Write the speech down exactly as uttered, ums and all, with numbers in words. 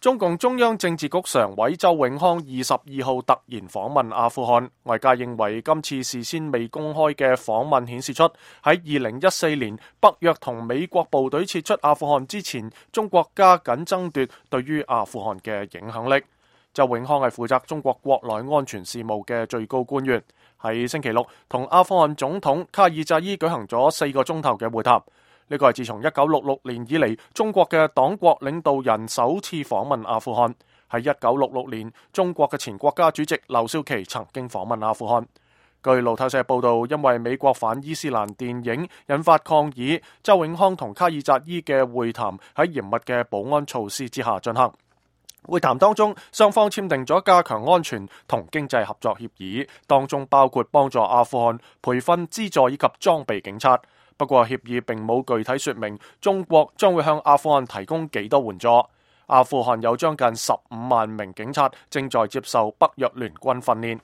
中共中央政治局常委周永康二十二號突然訪問阿富汗，外界認為今次事先未公開嘅訪問顯示出喺二零一四年北約同美國部隊撤出阿富汗之前，中國加緊爭奪對於阿富汗嘅影響力。周永康係負責中國國內安全事務嘅最高官員，喺星期六同阿富汗總統卡爾扎伊舉行咗四個鐘頭嘅會談。呢個係自從一九六六年以嚟，中國嘅黨國領導人首次訪問阿富汗。喺一九六六年，中國嘅前國家主席劉少奇曾經訪問阿富汗。據路透社報道，因為美國反伊斯蘭電影引發抗議，周永康同卡爾扎伊嘅會談喺嚴密嘅保安措施之下進行。會談當中，雙方簽訂咗加強安全同經濟合作協議，當中包括幫助阿富汗培訓、資助以及裝備警察。不過協議並冇具體說明中國將會向阿富汗提供幾多援助。阿富汗有將近十五萬名警察正在接受北約聯軍訓練。